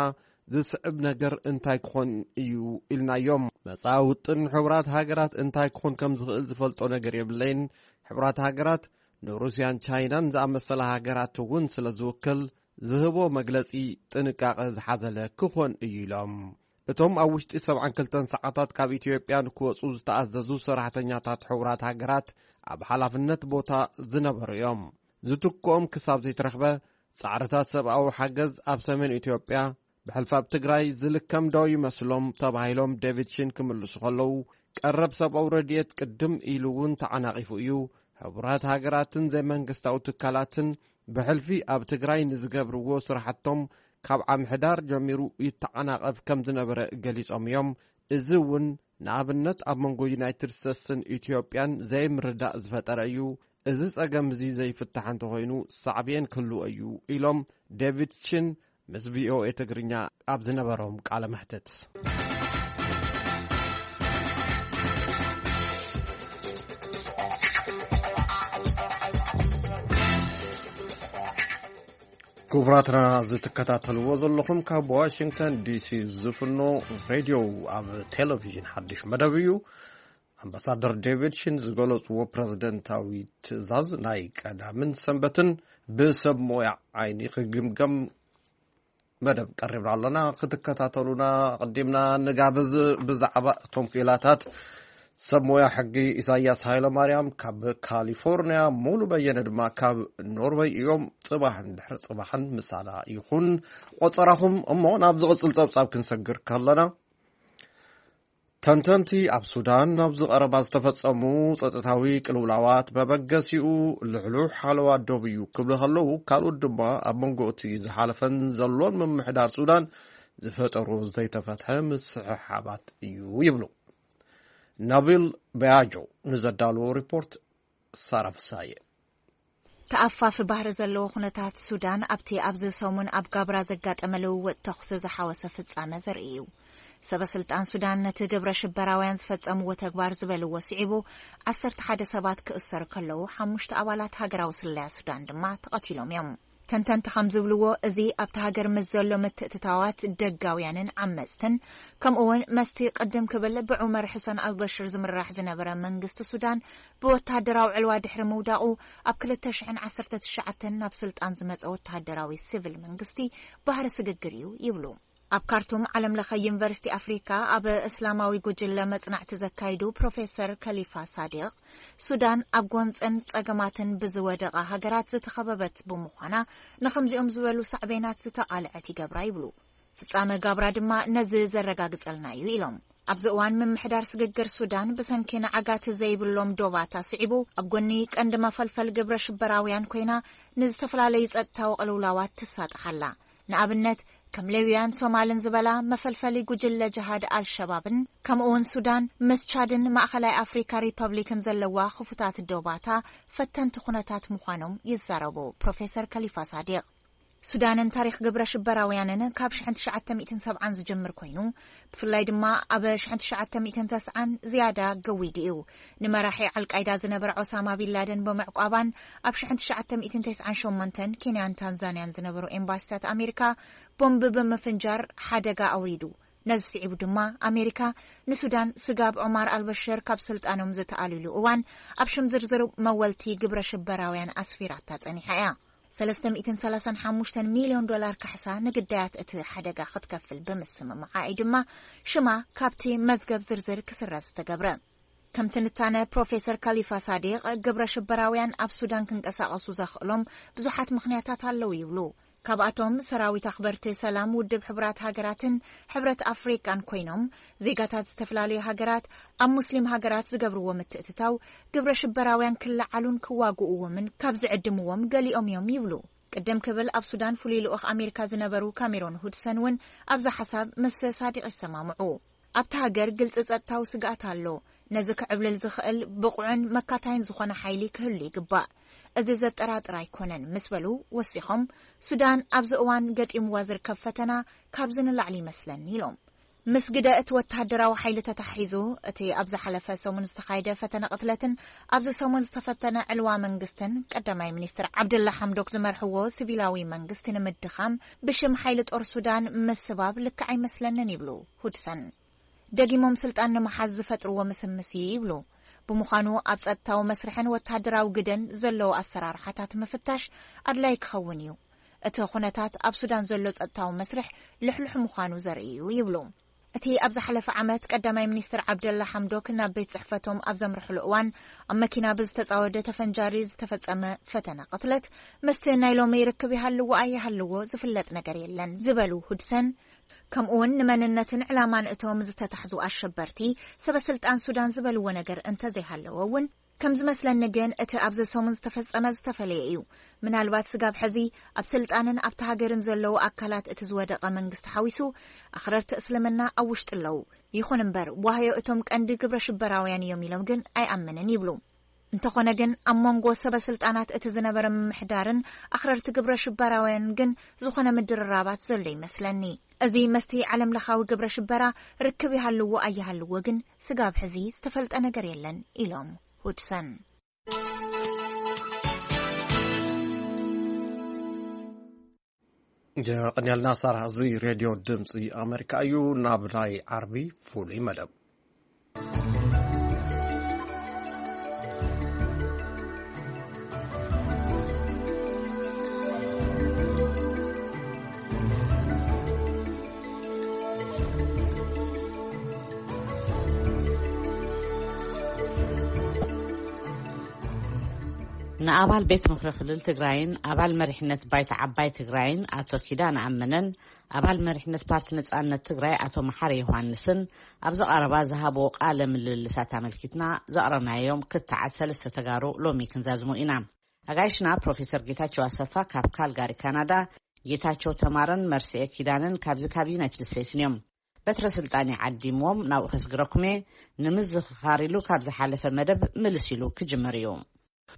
ዝስዕብ ነገር እንታይ ክኾን እዩ ኢልናዮም። መጻኢ ውጥን ሕቡራት ሃገራት እንታይ ክኾን ከም ዝኽእል ዝፈልጦ ነገር የብለይን። ሕቡራት ሃገራት ንሩስያን ቻይናን ዝኣመሰላ ሃገራት እውን ስለ ዝውክል፣ ዝህቦ መግለጺ ጥንቃቐ ዝሓዘለ ክኾን እዩ ኢሎም። እቶም ኣብ ውሽጢ ሰብዓን ክልተን ሰዓታት ካብ ኢትዮጵያ ንክወጹ ዝተኣዘዙ ሰራሕተኛታት ሕቡራት ሃገራት ኣብ ሓላፍነት ቦታ ዝነበሩ እዮም። ዝትክኦም ክሳብ ዘይተረኽበ ጻዕርታት ሰብኣዊ ሓገዝ ኣብ ሰሜን ኢትዮጵያ ብሕልፊ ኣብ ትግራይ ዝልከም ዶ ይመስሎም ተባሂሎም ዴቪድ ሽን ክምልሱ ከለዉ፣ ቀረብ ሰብኣዊ ረድኤት ቅድም ኢሉ እውን ተዓናቒፉ እዩ። ሕቡራት ሃገራትን ዘይመንግስታዊ ትካላትን ብሕልፊ ኣብ ትግራይ ንዝገብርዎ ስራሕቶም ካብ ዓምሕዳር ጀሚሩ ይተዓናቐፍ ከም ዝነበረ ገሊጾም እዮም። እዚ እውን ንኣብነት ኣብ መንጎ ዩናይትድ ስቴትስን ኢትዮጵያን ዘይምርዳእ ዝፈጠረ እዩ። እዚ ጸገም እዚ ዘይፍታሕ እንተኾይኑ ሳዕቤን ክህልዎ እዩ ኢሎም ዴቪድ ሽን ምስ ቪኦኤ ትግርኛ ኣብ ዝነበሮም ቃለ መሕትት። ክቡራትና ዝትከታተልዎ ዘለኹም ካብ ዋሽንግተን ዲሲ ዝፍኖ ሬድዮ ኣብ ቴሌቪዥን ሓድሽ መደብ እዩ። ኣምባሳደር ዴቪድ ሽን ዝገለጽዎ ፕረዚደንታዊ ትእዛዝ ናይ ቀዳምን ሰንበትን ብሰብ ሞያ ዓይኒ ክግምገም መደብ ቀሪብና ኣለና። ክትከታተሉና ኣቐዲምና ንጋብዝ። ብዛዕባ እቶም ክኢላታት ሰብ ሞያ ሕጊ ኢሳያስ ሃይለማርያም ካብ ካሊፎርንያ፣ ሙሉ በየነ ድማ ካብ ኖርወይ እዮም። ጽባሕን ድሕሪ ጽባሕን ምሳና ይኹን ቆጸራኹም። እሞ ናብ ዝቕጽል ጸብጻብ ክንሰግር ከለና፣ ተንተንቲ ኣብ ሱዳን ኣብዚ ቀረባ ዝተፈጸሙ ጸጥታዊ ቅልውላዋት መበገሲኡ ልሕሉሕ ሓለዋ ዶብ እዩ ክብሉ ከለዉ፣ ካልኦት ድማ ኣብ መንጎ እቲ ዝሓለፈን ዘሎን ምምሕዳር ሱዳን ዝፈጠሩ ዘይተፈትሐ ምስሕሓባት እዩ ይብሉ። ናቪል በያጆ ንዘዳለዎ ሪፖርት ሳራ ፍሳየ። ተኣፋፊ ባህሪ ዘለዎ ኩነታት ሱዳን ኣብቲ ኣብዚ ሰሙን ኣብ ጋብራ ዘጋጠመ ልውውጥ ተኹሲ ዝሓወሰ ፍጻመ ዘርኢ እዩ። ሰበ ስልጣን ሱዳን ነቲ ግብረ ሽበራውያን ዝፈጸምዎ ተግባር ዝበልዎ ስዒቡ፣ ዓሰርተ ሓደ ሰባት ክእሰሩ ከለዉ፣ ሓሙሽተ ኣባላት ሃገራዊ ስለያ ሱዳን ድማ ተቐቲሎም እዮም። ተንተንቲ ከም ዝብልዎ፣ እዚ ኣብቲ ሃገር ምስ ዘሎ ምትእትታዋት ደጋውያንን ዓመጽትን፣ ከምኡ እውን መስቲ ቅድም ክብል ብዑመር ሕሰን ኣልበሽር ዝምራሕ ዝነበረ መንግስቲ ሱዳን ብወተሃደራዊ ዕልዋ ድሕሪ ምውዳቑ፣ ኣብ ክልተ ሽሕን ዓሰርተ ትሽዓተን ናብ ስልጣን ዝመጸ ወተሃደራዊ ሲቪል መንግስቲ ባህሪ ስግግር እዩ ይብሉ። ኣብ ካርቱም ዓለም ለኸ ዩኒቨርሲቲ ኣፍሪካ ኣብ እስላማዊ ጉጅለ መጽናዕቲ ዘካይዱ ፕሮፌሰር ከሊፋ ሳዲቕ፣ ሱዳን ኣብ ጎንጽን ጸገማትን ብዝወደቓ ሃገራት ዝተኸበበት ብምዃና፣ ንኸምዚኦም ዝበሉ ሳዕቤናት ዝተቓልዐት ይገብራ ይብሉ። ፍጻመ ጋብራ ድማ ነዚ ዘረጋግጸልና እዩ ኢሎም። ኣብዚ እዋን ምምሕዳር ስግግር ሱዳን ብሰንኪ ንዓጋቲ ዘይብሎም ዶባት ኣስዒቡ ኣብ ጎኒ ቀንዲ መፈልፈል ግብረ ሽበራውያን ኮይና ንዝተፈላለዩ ጸጥታዊ ቅልውላዋት ትሳጥሕ ኣላ። ንኣብነት ከም ሌውያን ሶማልን ዝበላ መፈልፈሊ ጉጅለ ጅሃድ ኣልሸባብን ከምኡውን ሱዳን ምስ ቻድን ማእኸላይ ኣፍሪካ ሪፐብሊክን ዘለዋ ክፉታት ዶባታ ፈተንቲ ኩነታት ምዃኖም ይዛረቡ ፕሮፌሰር ከሊፋ ሳዲቕ። ሱዳንን ታሪኽ ግብረ ሽበራውያንን ካብ ሽሕን ትሽዓተ ሚእትን ሰብዓን ዝጅምር ኮይኑ፣ ብፍላይ ድማ ኣብ ሽሕን ትሽዓተ ሚእትን ተስዓን ዝያዳ ገዊዱ እዩ። ንመራሒ ኣልቃይዳ ዝነበረ ኦሳማ ቢንላደን ብምዕቋባን ኣብ ሽሕን ትሽዓተ ሚእትን ተስዓን ሸሞንተን ኬንያን ታንዛንያን ዝነበሩ ኤምባሲታት ኣሜሪካ ቦምብ ብምፍንጃር ሓደጋ ኣውሪዱ። ነዚ ስዒቡ ድማ ኣሜሪካ ንሱዳን ስጋብ ዑማር ኣልበሽር ካብ ስልጣኖም ዝተኣልሉ እዋን ኣብ ሽም ዝርዝር መወልቲ ግብረ ሽበራውያን ኣስፊራታ ጸኒሓ እያ። ሰለስተ ሚእትን ሰላሳን ሓሙሽተን ሚልዮን ዶላር ካሕሳ ንግዳያት እቲ ሓደጋ ክትከፍል ብምስምማዓ እዩ ድማ ሽማ ካብቲ መዝገብ ዝርዝር ክስረዝ ዝተገብረ። ከም ትንታነ ፕሮፌሰር ካሊፋ ሳዲቕ፣ ግብረ ሽበራውያን ኣብ ሱዳን ክንቀሳቐሱ ዘኽእሎም ብዙሓት ምኽንያታት ኣለዉ ይብሉ። ካብኣቶም ሰራዊት ኣኽበርቲ ሰላም ውድብ ሕቡራት ሃገራትን ሕብረት ኣፍሪቃን ኮይኖም፣ ዜጋታት ዝተፈላለዩ ሃገራት ኣብ ሙስሊም ሃገራት ዝገብርዎ ምትእትታው ግብረ ሽበራውያን ክለዓሉን ክዋግእዎምን ካብ ዝዕድምዎም ገሊኦም እዮም ይብሉ። ቅድም ክብል ኣብ ሱዳን ፍሉይ ልኡኽ ኣሜሪካ ዝነበሩ ካሜሮን ሁድሰን እውን ኣብዚ ሓሳብ ምስ ሳዲቕ ይሰማምዑ። ኣብቲ ሃገር ግልጺ ጸጥታዊ ስግኣት ኣሎ። ነዚ ክዕብልል ዝኽእል ብቑዕን መካታይን ዝኾነ ሓይሊ ክህሉ ይግባእ። እዚ ዘጠራጥር ኣይኮነን ምስ በሉ ወሲኾም፣ ሱዳን ኣብዚ እዋን ገጢምዋ ዝርከብ ፈተና ካብዚ ንላዕሊ ይመስለኒ ኢሎም። ምስ ግደ እቲ ወተሃደራዊ ሓይሊ ተታሒዙ፣ እቲ ኣብ ዝሓለፈ ሰሙን ዝተኻየደ ፈተነ ቅትለትን ኣብዚ ሰሙን ዝተፈተነ ዕልዋ መንግስትን ቀዳማይ ሚኒስትር ዓብደላ ሓምዶክ ዝመርሕዎ ሲቪላዊ መንግስቲ ንምድኻም ብሽም ሓይሊ ጦር ሱዳን ምስባብ ልክዕ ኣይመስለንን ይብሉ ሁድሰን። ደጊሞም ስልጣን ንምሓዝ ዝፈጥርዎ ምስምስ እዩ ይብሉ። ብምዃኑ ኣብ ጸጥታዊ መስርሕን ወተሃደራዊ ግደን ዘለዉ ኣሰራርሓታት ምፍታሽ ኣድላይ ክኸውን እዩ። እቲ ኩነታት ኣብ ሱዳን ዘሎ ጸጥታዊ መስርሕ ልሕሉሕ ምዃኑ ዘርኢ እዩ ይብሉ። እቲ ኣብ ዝሓለፈ ዓመት ቀዳማይ ሚኒስትር ዓብደላ ሓምዶክ ናብ ቤት ጽሕፈቶም ኣብ ዘምርሕሉ እዋን ኣብ መኪና ብዝተጻወደ ተፈንጃሪ ዝተፈጸመ ፈተነ ቅትለት ምስቲ ናይ ሎሚ ርክብ ይሃልዎ ኣይሃልዎ ዝፍለጥ ነገር የለን ዝበሉ ሁድሰን፣ ከምኡውን ንመንነትን ዕላማን እቶም ዝተታሕዙ ኣሸበርቲ ሰበ ስልጣን ሱዳን ዝበልዎ ነገር እንተዘይሃለወ እውን፣ ከም ዝመስለኒ ግን እቲ ኣብዚ ሰሙን ዝተፈጸመ ዝተፈለየ እዩ። ምናልባት ስጋብ ሕዚ ኣብ ስልጣንን ኣብቲ ሃገርን ዘለዉ ኣካላት እቲ ዝወደቐ መንግስቲ ሓዊሱ ኣኽረርቲ እስልምና ኣብ ውሽጢ ኣለዉ። ይኹን እምበር ዋህዮ እቶም ቀንዲ ግብረ ሽበራውያን እዮም ኢሎም ግን ኣይኣምንን ይብሉ። እንተኾነ ግን ኣብ መንጎ ሰበ ስልጣናት እቲ ዝነበረ ምምሕዳርን ኣኽረርቲ ግብረ ሽበራውያን ግን ዝኾነ ምድርራባት ዘሎ ይመስለኒ። እዚ መስቲ ዓለም ለኻዊ ግብረ ሽበራ ርክብ ይሃልዎ ኣይሃልዎ ግን ስጋብ ሕዚ ዝተፈልጠ ነገር የለን ኢሎም ሁድሰን። የቐንየልና ሳራ። እዚ ሬድዮ ድምፂ ኣሜሪካ እዩ። ናብ ናይ ዓርቢ ፍሉይ መደብ ንኣባል ቤት ምኽሪ ክልል ትግራይን ኣባል መሪሕነት ባይታ ዓባይ ትግራይን ኣቶ ኪዳነ ኣመነን ኣባል መሪሕነት ፓርቲ ነጻነት ትግራይ ኣቶ መሓሪ ዮሃንስን ኣብዚ ቀረባ ዝሃብዎ ቃለ ምልልሳት ኣመልኪትና ዘቕረብናዮም ክትዓት ሰለስተ ተጋሩ ሎሚ ክንዛዝሞ ኢና። ኣጋይሽና ፕሮፌሰር ጌታቸው ኣሰፋ ካብ ካልጋሪ ካናዳ፣ ጌታቸው ተማረን መርስኤ ኪዳነን ካብዚ ካብ ዩናይትድ ስቴትስን እዮም። በትረ ስልጣን ይዓዲምዎም ናብኡ ከስግረኩም እየ። ንምዝኽኻር ኢሉ ካብ ዝሓለፈ መደብ ምልስ ኢሉ ክጅምር እዩ።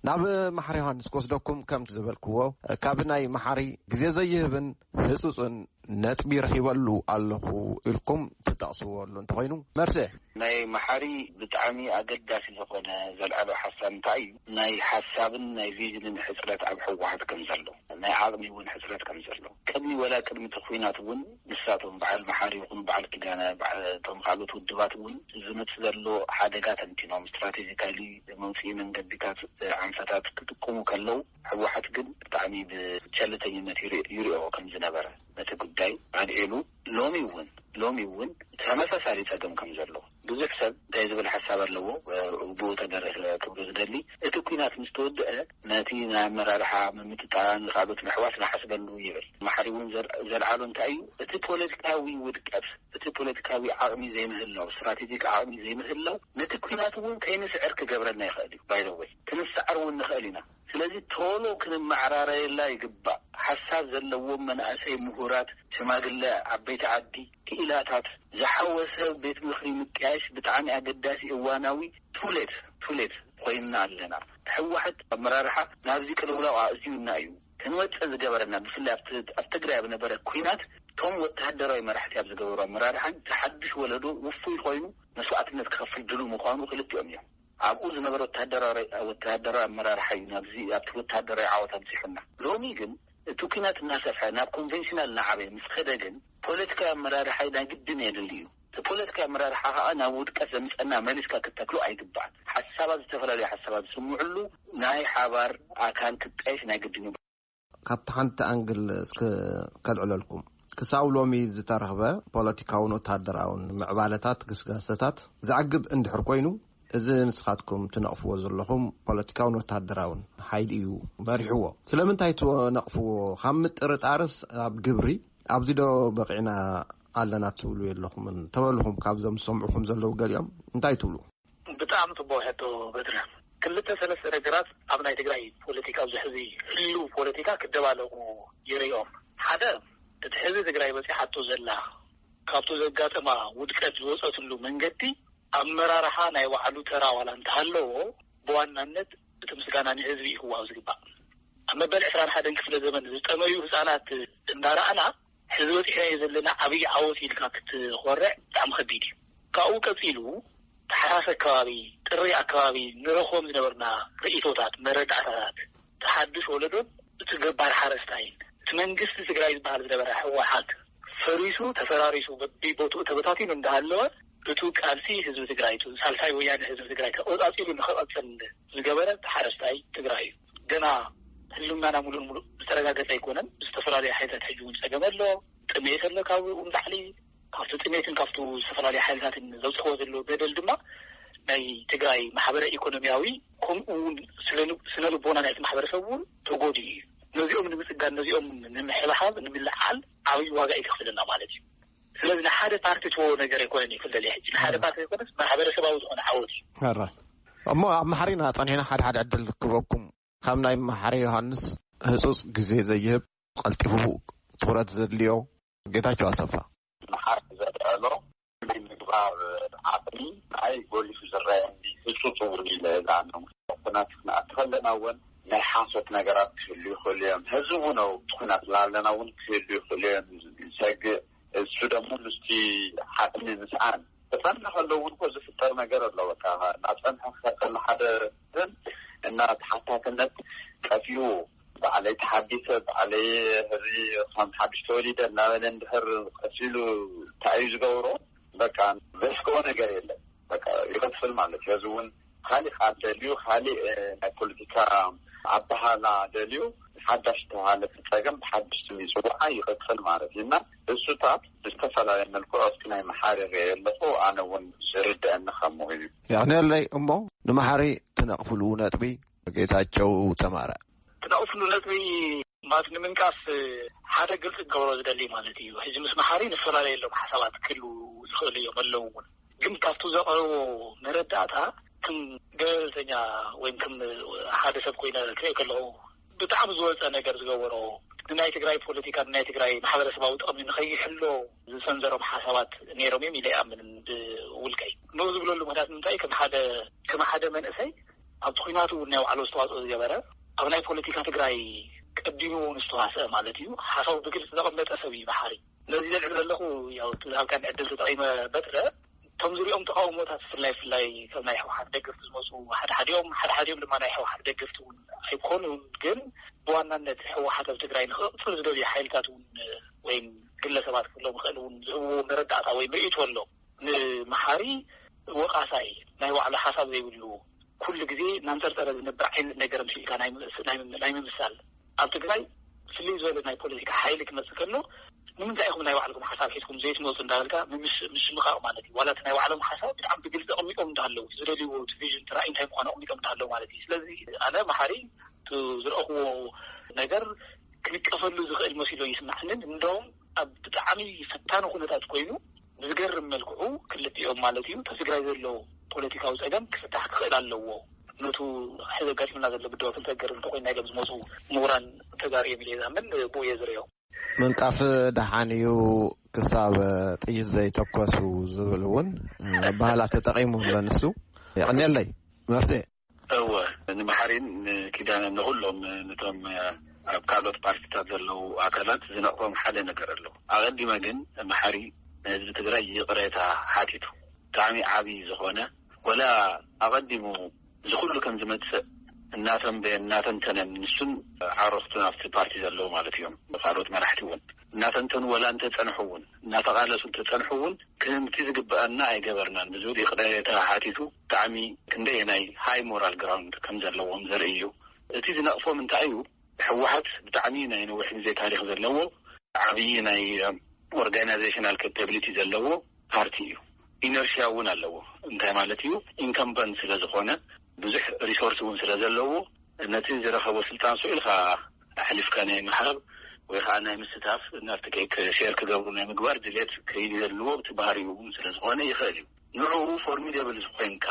ናብ መሓሪ ዮሃንስ ክወስደኩም፣ ከምቲ ዝበልክዎ ካብ ናይ መሓሪ ግዜ ዘይህብን ህጹጽን ነጥቢ ረኺበሉ ኣለኹ ኢልኩም ትጠቕስዎ ኣሎ እንተኾይኑ፣ መርስኤ። ናይ መሓሪ ብጣዕሚ ኣገዳሲ ዝኾነ ዘልዓሎ ሓሳብ እንታይ እዩ? ናይ ሓሳብን ናይ ቪዥንን ሕጽረት ኣብ ህወሓት ከም ዘሎ፣ ናይ ዓቕሚ እውን ሕጽረት ከም ዘሎ፣ ቅድሚ ወላ ቅድሚ እቲ ኲናት እውን ንሳቶም በዓል መሓሪ ይኹኑ በዓል ኪዳነ፣ በዓል እቶም ካልኦት ውድባት እውን ዝመጽእ ዘሎ ሓደጋ ተንቲኖም ስትራቴጂካሊ መውፅኢ መንገዲታት፣ ዓንፈታት ክጥቀሙ ከለዉ ህወሓት ግን ብጣዕሚ ብቸልተኝነት ይርኢ- ይሪኦ ከም ዝነበረ ነቲ ጉዳይ ኣልዒሉ ሎሚ እውን ሎሚ እውን ተመሳሳሊ ጸገም ከም ዘሎ ብዙሕ ሰብ እንታይ ዝብል ሓሳብ ኣለዎ። ብኡ ተደረሰ ክብሎ ዝደሊ እቲ ኲናት ምስ ተወድአ ነቲ ናይ ኣመራርሓ ምምጥጣን ካልኦት ምሕዋስ ንሓስበሉ ይብል። መሓሪ እውን ዘል- ዘልዓሎ እንታይ እዩ? እቲ ፖለቲካዊ ውድቀት፣ እቲ ፖለቲካዊ ዓቕሚ ዘይምህላው፣ ስትራቴጂክ ዓቕሚ ዘይምህላው ነቲ ኲናት እውን ከይንስዕር ክገብረና ይኽእል እዩ። ባይዘወይ ክንስዓር እውን ንኽእል ኢና። ስለዚ ቶሎ ክንመዓራረየላ ይግባእ። ሓሳብ ዘለዎም መናእሰይ፣ ምሁራት፣ ሽማግለ፣ ዓበይቲ ዓዲ፣ ክኢላታት ዝሓወሰ ቤት ምኽሪ ምጥያሽ ብጣዕሚ ኣገዳሲ እዋናዊ ቱሌት ቱሌት ኮይንና ኣለና። ህወሓት ኣመራርሓ ናብዚ ቅልውላው ኣእትዩና እዩ። ክንወፅእ ዝገበረና ብፍላይ ኣብቲ ኣብ ትግራይ ኣብ ነበረ ኲናት እቶም ወተሃደራዊ መራሕቲ ኣብ ዝገበሩ ኣመራርሓን እቲ ሓድሽ ወለዶ ውፉይ ኮይኑ መስዋእትነት ክኸፍል ድሉ ምዃኑ ክልቲኦም እዮም። ኣብኡ ዝነበረ ወተሃደራዊ ወተሃደራዊ ኣመራርሓ እዩ ናብዚ ኣብቲ ወተሃደራዊ ዓወት ኣብፂሑና። ሎሚ ግን እቲ ኲናት እናሰፍሐ ናብ ኮንቨንሽናል እናዓበየ ምስ ከደ ግን ፖለቲካዊ ኣመራርሓ ናይ ግድን የድሊ እዩ። እቲ ፖለቲካዊ ኣመራርሓ ከዓ ናብ ውድቀት ዘምፀና መሊስካ ክተክሎ ኣይግባእን። ሓሳባት ዝተፈላለዩ ሓሳባት ዝስምዕሉ ናይ ሓባር ኣካል ክጣየሽ ናይ ግድን እዩ። ካብቲ ሓንቲ ኣንግል እስከ ከልዕለልኩም። ክሳብ ሎሚ ዝተረኽበ ፖለቲካውን ወተሃደራውን ምዕባለታት ግስጋሰታት ዘዕግብ እንድሕር ኮይኑ፣ እዚ ንስኻትኩም ትነቕፍዎ ዘለኹም ፖለቲካውን ወተሃደራውን ሓይሊ እዩ መሪሕዎ። ስለምንታይ ትነቕፍዎ? ካብ ምጥርጣርስ ኣብ ግብሪ ኣብዚ ዶ በቒዕና ኣለና ትብሉ የለኹምን? ተበልኹም ካብዞም ዝሰምዑኹም ዘለዉ ገሊኦም እንታይ ትብሉ? ብጣዕሚ ጽቡቕ ሕቶ በትረ። ክልተ ሰለስተ ነገራት ኣብ ናይ ትግራይ ፖለቲካ፣ ኣብዚ ሕዚ ህልው ፖለቲካ ክደባለቑ ይርእዮም። ሓደ፣ እቲ ሕዚ ትግራይ በጺሓቶ ዘላ፣ ካብቲ ዘጋጠማ ውድቀት ዝወጸትሉ መንገዲ፣ ኣመራርሓ ናይ ባዕሉ ተራ ዋላ እንተሃለዎ፣ ብዋናነት እቲ ምስጋና ንህዝቢ እዩ ክወሃብ ዝግባእ። ኣብ መበል ዕስራን ሓደን ክፍለ ዘመን ዝጠመዩ ህጻናት እንዳረኣና፣ ሕዚ በጺሕናዮ ዘለና ዓብዪ ዓወት ኢልካ ክትኾርዕ ብጣዕሚ ከቢድ እዩ። ካብኡ ቀጺሉ፣ ተሓሳስ ኣከባቢ፣ ጥሪ ኣከባቢ ንረኽቦም ዝነበርና ርእይቶታት፣ መረዳእታታት፣ እቲ ሓዱሽ ወለዶን እቲ ገባር ሓረስታይን፣ እቲ መንግስቲ ትግራይ ዝበሃል ዝነበረ ህወሓት ፈሪሱ፣ ተፈራሪሱ፣ በቢቦትኡ ተበታቲኑ እንዳሃለወ፣ እቱ ቃልሲ ህዝቢ ትግራይ፣ እቱ ሳልሳይ ወያነ ህዝቢ ትግራይ ተቆጻጺሩ ንክቐጽል ዝገበረ እቲ ሓረስታይ ትግራይ እዩ። ገና ህልውናና ሙሉእ ሙሉእ ዝተረጋገጸ ኣይኮነን። ዝተፈላለዩ ሓይልታት ሕጂ እውን ጸገም ኣሎ። ጥሜት ኣሎ ካብኡ ንላዕሊ። ካብቲ ጥሜትን ካብቲ ዝተፈላለዩ ሓይልታትን ዘብፅሕዎ ዘለዎ በደል ድማ ናይ ትግራይ ማሕበረ ኢኮኖሚያዊ፣ ከምኡ እውን ስነ ልብ-፣ ስነ ልቦና ናይቲ ማሕበረሰብ እውን ተጎዲኡ እዩ። ነዚኦም ንምፅጋን፣ ነዚኦም ንምሕብሓብ፣ ንምልዓል ዓብዪ ዋጋ እዩ ከኽፍለና ማለት እዩ። ስለዚ ንሓደ ፓርቲ ትዎ ነገር ኣይኮነን እዩ ክልል ሕጂ። ንሓደ ፓርቲ ኣይኮነስ ማሕበረሰባዊ ዝኾነ ዓወት እዩ። ሕራይ። እሞ ኣብ መሓሪና ጸኒሕና ሓደ ሓደ ዕድል ክበኩም። ካብ ናይ መሓሪ ዮሃንስ ህጹጽ ግዜ ዘይህብ፣ ቀልጢፉ ትኹረት ዘድልዮ ጌታቸው ኣሰፋ። መሓሪ ዘልዐሎ ናይ ምግባር ዓቕሚ ናይ ጎሊሑ ዝረኣየኒ ህጹጽ እውን ኢለ እዛ ነው። ኩናት ክንኣቲ ከለና እውን ናይ ሓሶት ነገራት ክህሉ ይኽእሉ እዮም። ሕዚ እውን ኣብ ኩናት ላለና እውን ክህሉ ይኽእሉ እዮም። ዝሰግእ እሱ ደግሞ ምስቲ ዓቕሚ ምስኣን ተጸንሐ ከሎ እውን እኮ ዝፍጠር ነገር ኣሎ። በቃ እናጸንሐ ክኸተል ሓደ ግን እና ተሓታትነት ጠፊኡ ባዕለይ ተሓዲሰ፣ ባዕለይ ሕዚ ከም ሓድሽ ተወሊደ እናበለ እንድሕር ቀሲሉ እንታይ እዩ ዝገብሮ? በቃ ዘስግኦ ነገር የለን። በቃ ይቕጽል ማለት እዩ። ሕዚ እውን ካሊእ ቃል ደልዩ፣ ካሊእ፣ እ፣ ናይ ፖለቲካ ኣበሃላ ደልዩ፣ ሓዳሽ ተባሃለ ጸገም ብሓድሽ ስም ይጽዋዓ ይቕጽል ማለት እዩ። እና እሱታት ብዝተፈላለየ መልክዑ እስኪ ናይ መሓሪ ርእየ ኣለኹ። ኣነ እውን ዝርድአኒ ከምኡ እዩ። የቕንየለይ። እሞ ንመሓሪ ትነቕፍሉ ነጥቢ? ጌታቸው ተማረ። ትነቕፍሉ ነጥቢ ማለት ንምንቃፍ ሓደ ግልፂ ክገብሮ ዝደሊ ማለት እዩ። ሕዚ ምስ መሓሪ ንፈላለየሎም ሓሳባት ክህሉ ዝኽእሉ እዮም፣ ኣለዉ እውን። ግን ካብቲ ዘቕረቦ መረዳእታ ከም ገለልተኛ ወይም ከም ሓደ ሰብ ኮይነ ክሪኦ ከለኹ ብጣዕሚ ዝወፀ ነገር ዝገበሮ፣ ንናይ ትግራይ ፖለቲካ፣ ንናይ ትግራይ ማሕበረሰባዊ ጥቕሚ ንኸይሕሎ ዝሰንዘሮም ሓሳባት ነይሮም እዮም ኢለ ይኣምን ብውልቀይ። ንኡ ዝብለሉ ምክንያት ንምንታይ? ከም ሓደ፣ ከም ሓደ መንእሰይ ኣብቲ ኩናት እውን ናይ ባዕሉ ኣስተዋፅኦ ዝገበረ፣ ኣብ ናይ ፖለቲካ ትግራይ ቀዲሙ እውን ዝተዋስአ ማለት እዩ። ሓሳቡ ብግልፂ ዘቐመጠ ሰብ እዩ መሓሪ። ነዚ ዘልዕል ዘለኹ፣ ያው፣ እቲ ዝሃብካኒ ዕድል ተጠቒመ በትረ፣ እቶም ዝሪኦም ተቓውሞታት፣ ብፍላይ፣ ብፍላይ ካብ ናይ ህወሓት ደገፍቲ ዝመፁ ሓደ ሓዲኦም፣ ሓደ ሓዲኦም ድማ ናይ ህወሓት ደገፍቲ እውን ኣይኮኑን። ግን ብዋናነት ህወሓት ኣብ ትግራይ ንክቕፅል ዝደልዩ ሓይልታት እውን ወይም ግለሰባት ክህልዎም ይኽእል እውን ዝህብዎ መረዳእታ ወይም ርእይቶ ኣሎ። ንመሓሪ ወቓሳይ፣ ናይ ባዕሉ ሓሳብ ዘይብሉ፣ ኩሉ ግዜ እናንጠርጠረ ዝነብር ዓይነት ነገር ምስልካ ናይ ምስ-፣ ናይ ምም-፣ ናይ ምምሳል። ኣብ ትግራይ ፍልይ ዝበለ ናይ ፖለቲካ ሓይሊ ክመፅእ ከሎ፣ ንምንታይ ኢኹም ናይ ባዕልኩም ሓሳብ ሒዝኩም ዘይትመፁ እንዳበልካ ምምሽ-፣ ምሽምቓቕ ማለት እዩ። ዋላ እቲ ናይ ባዕሎም ሓሳብ ብጣዕሚ ብግልፂ ኣቕሚጦም እንዳሃለዉ፣ ዝደልይዎ እቲ ቪዥን፣ እቲ ራእይ እንታይ ምዃኑ ኣቕሚጦም እንዳሃለዉ ማለት እዩ። ስለዚ ኣነ መሓሪ እቲ ዝረእኽዎ ነገር ክንቀፈሉ ዝኽእል መሲሎ ይስምዓንን፣ እንደውም ኣብ ብጣዕሚ ፈታኒ ኩነታት ኮይኑ ብዝገርም መልክዑ ክልቲኦም ማለት እዩ፣ እቲ ትግራይ ዘሎ ፖለቲካዊ ጸገም ክፍታሕ ክኽእል ኣለዎ። ነቱ ሕዚ ኣጋጢሙና ዘሎ ብድሆ ክንሰገር እንተኮይና ኢሎም ዝመፁ ምሁራን ተጋሩ እዮም ኢለ ዝኣምን፣ ብኡ እየ ዝርእዮ። ምንቃፍ ደሓን እዩ፣ ክሳብ ጥይት ዘይተኮሱ ዝብል እውን ኣበሃህላ ተጠቒሙ ኣሎ ንሱ። የቐንየለይ። መርሴ። እወ፣ ንመሓሪን ንኪዳነ፣ ንኹሎም፣ ንቶም ኣብ ካልኦት ፓርቲታት ዘለዉ ኣካላት ዝነቕፎም ሓደ ነገር ኣሎ። ኣቐዲመ ግን መሓሪ ንህዝቢ ትግራይ ይቕሬታ ሓቲቱ። ብጣዕሚ ዓብዪ ዝኾነ፣ ወላ ኣቐዲሙ እዚ ኩሉ ከም ዝመጽእ እናተንበየ እናተንተነን፣ ንሱን ዓረኽቱን ኣብቲ ፓርቲ ዘለዉ ማለት እዮም፣ ካልኦት መራሕቲ እውን እናተንተኑ፣ ወላ እንተጸንሑ እውን፣ እናተቓለሱ እንተጸንሑ እውን፣ ክህምቲ ዝግበኣና ኣይገበርናን ብዝብል ይቕሬታ ሓቲቱ። ብጣዕሚ ክንደየናይ ሃይ ሞራል ግራውንድ ከም ዘለዎም ዘርኢ እዩ። እቲ ዝነቕፎም እንታይ እዩ? ህወሓት ብጣዕሚ ናይ ነዊሕ ግዜ ታሪኽ ዘለዎ፣ ዓብዪ ናይ ኦርጋናይዜሽናል ካፓቢሊቲ ዘለዎ ፓርቲ እዩ። ኢነርሽያ እውን ኣለዎ። እንታይ ማለት እዩ? ኢንከምበንት ስለ ዝኾነ፣ ብዙሕ ሪሶርስ እውን ስለ ዘለዎ፣ ነቲ ዝረኸቦ ስልጣን ስኡ ኢልካ ኣሕሊፍካ ናይ ምሃብ ወይ ከዓ ናይ ምስታፍ፣ ናብቲ ኬክ ሼር ክገብሩ ናይ ምግባር ድሌት ከይህልዎ፣ እቲ ባህሪኡ እውን ስለ ዝኾነ ይኽእል እዩ። ንዕኡ ፎርሚደብል ዝኾንካ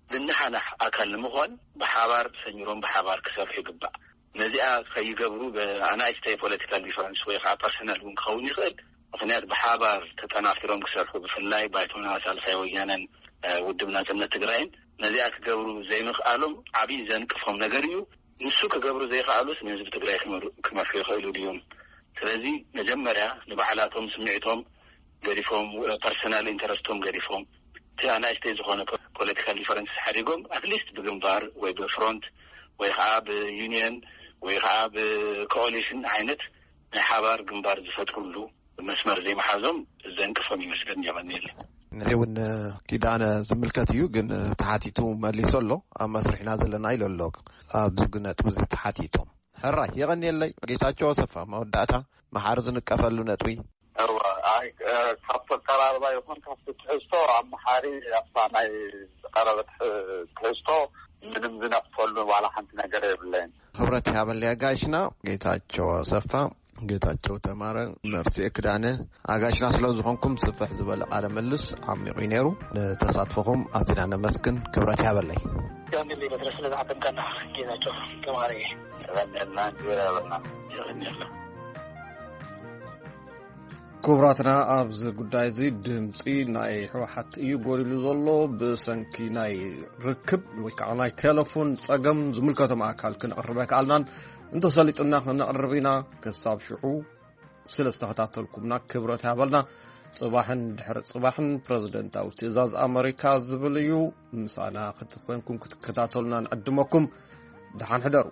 ዝነሓናሕ ኣካል ንምዃን ብሓባር ሰሚሮም ብሓባር ክሰርሑ ይግባእ። ነዚኣ ከይገብሩ ብኣናእሽተይ ፖለቲካል ዲፈረንስ ወይ ከዓ ፐርሰናል እውን ክኸውን ይኽእል። ምኽንያት ብሓባር ተጠናፊሮም ክሰርሑ፣ ብፍላይ ባይቶና፣ ሳልሳይ ወያነን፣ እ፣ ውድብ ናጽነት ትግራይን ነዚኣ ክገብሩ ዘይምኽኣሎም ዓብዪ ዘንቅፎም ነገር እዩ። ንሱ ክገብሩ ዘይኽኣሉስ ንህዝቢ ትግራይ ክመር-፣ ክመርሑ ይኽእሉ ድዮም? ስለዚ መጀመርያ ንባዕላቶም ስምዒቶም ገዲፎም፣ እ፣ ፐርሰናል ኢንተረስቶም ገዲፎም፣ እቲ ኣናእሽተይ ዝኾነ ፖ-፣ ፖለቲካል ዲፈረንስ ሓዲጎም፣ ኣትሊስት ብግንባር ወይ ብፍሮንት ወይ ከዓ ብዩኒየን ወይ ከዓ ብኮኦሊሽን ዓይነት ናይ ሓባር ግንባር ዝፈጥሩሉ መስመር ዘይምሓዞም ዘንቅፎም ይመስለኒ። የቐንየለይ። እዚ እውን ኪዳነ ዝምልከት እዩ፣ ግን ተሓቲቱ መሊሱ ኣሎ። ኣብ መስርሕና ዘለና ኢሉ ኣሎ። ኣብዚ ነጥቢ እዚ ተሓቲቶም። ሕራይ፣ የቐንየለይ። ጌታቸው ኣሰፋ፣ መወዳእታ፣ መሓሪ ዝንቀፈሉ ነጥቢ። እወ፣ ኣይ፣ እ፣ ካብቲ ኣቀራርባ ይኹን ካብቲ ትሕዝቶ ኣብ መሓሪ ኣብታ ናይ ዝቐረበት፣ እ፣ ትሕዝቶ ምንም ዝነቕፈሉ ዋላ ሓንቲ ነገር የብለይን። ክብረት ይሃበለይ ኣጋይሽና። ጌታቸው ኣሰፋ፣ ጌታቸው ተማረ፣ መርሲኤ ክዳነ፣ ኣጋይሽና ስለ ዝኾንኩም ስፍሕ ዝበለ ቃለ ምልልስ ዓሚቑ እዩ ነይሩ። ንተሳትፎኹም ኣዚና ነመስግን። ክብረት ይሃበለይ። ያንድሊ በትረ ስለ ዝዓደምካና ጌታቸው ተማረ። የቐንየልና፣ ክብር ያበልና። የቐንየልና። ክቡራትና፣ ኣብዚ ጉዳይ እዚ ድምፂ ናይ ህወሓት እዩ ጎዲሉ ዘሎ። ብሰንኪ ናይ ርክብ ወይ ከዓ ናይ ቴሌፎን ፀገም ዝምልከቶም ኣካል ክንቕርብ ኣይከኣልናን። እንተሰሊጡና ክነቕርብ ኢና። ክሳብ ሽዑ ስለ ዝተኸታተልኩምና ክብረት ያበልና። ፅባሕን ድሕሪ ፅባሕን ፕረዚደንታዊ ትእዛዝ ኣመሪካ ዝብል እዩ። ምሳና ክትኮንኩም ክትከታተሉና ንዕድመኩም። ደሓን ሕደሩ።